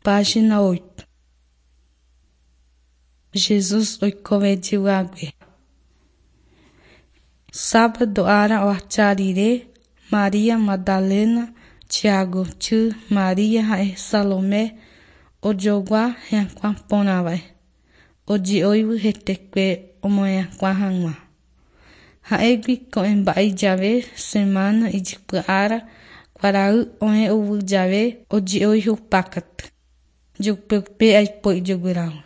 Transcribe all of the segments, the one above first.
Página 8. Jesús oikove jeyhague. Sábado ára oacha rire, María Magdalena, Tiago sy, María ha'e Salomé ojogua hyakuã porãva'e, oje'óivy hetekue omohyakuã hag̃ua. Ha'égui ko'ẽmba'e jave semana ijypy ára kuarahy oẽ ovy jave oje'ói hupákatu. Jupeupe aipo ijoguerávo.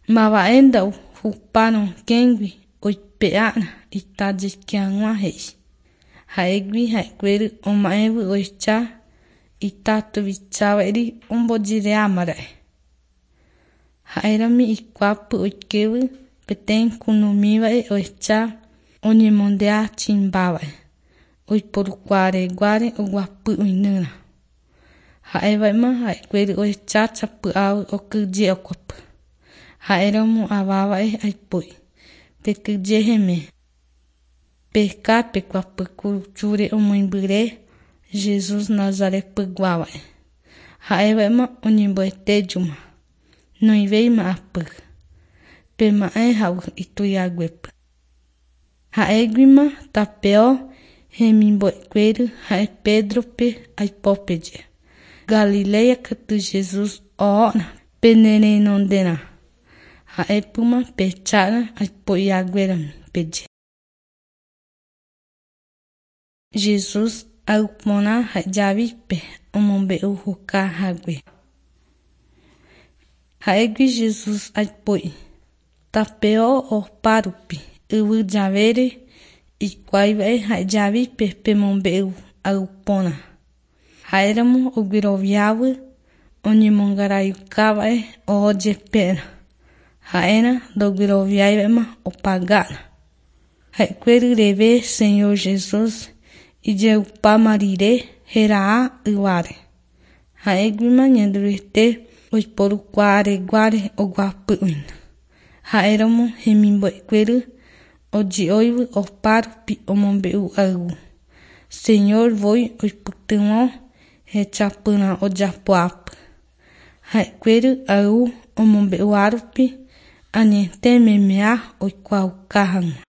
Mava'e nda'u hupa rokẽgui oipe'ára ita jeike hag̃ua he'i. Ha'égui ha'ekuéry oma'ẽvy ohecha ita tuicháva'eri ombojereámara'e. Ha'érami ikuápy oikévy peteĩ kunumíva'e ohecha oñemondéa chimbáva'e, oiporukuaareguáre oguapy oinýra. Ha'éva'ema ha'ekuéry ohecha chapy'ávy okyhyje okuapy. Ha'éramo aváva'e aipói. Pekyhyje heme. Peheka pekuapy kuruchúre omoĩmbyre Jesús Nazaretpyguáva'e. Ha'éva'ema oñemboetéjuma. Noĩvéima ápy. Pema'ẽ ha'u itujaguépy. Ha'éguima tapeo hemimbo'ekuéry ha'e Pedro-pe aipo peje. Galilea katu Jesús ohóna pene renonderã. Ha'épyma pehechára aipo'ihaguérami peje. Jesús ayvu porã ha Javípe omombe'u juka hague. Ha'égui Jesús aipo'i. Tapeo opárupi yvy javére ikuaiva'e ha Javípe pemombe'u ayvu porã. Ha'éramo ogueroviávy oñemongaraiukáva'e oho jepéra. Ha'érã ndogueroviáiva'ema opagára. Ha'ekuéry reve Señor Jesús ijeupáma rire heraha yváre. Ha'éguima Ñanderuete oiporukuaareguáre oguapy oĩna. Ha'éramo hemimbo'ekuéry oje'óivy opárupi omombe'u ayvu. Señor voi oipytyvõ hechapyrã ojapoápy. Ha'ekuéry ayvu omombe'uhárupi añete memea oikuaauka hag̃ua.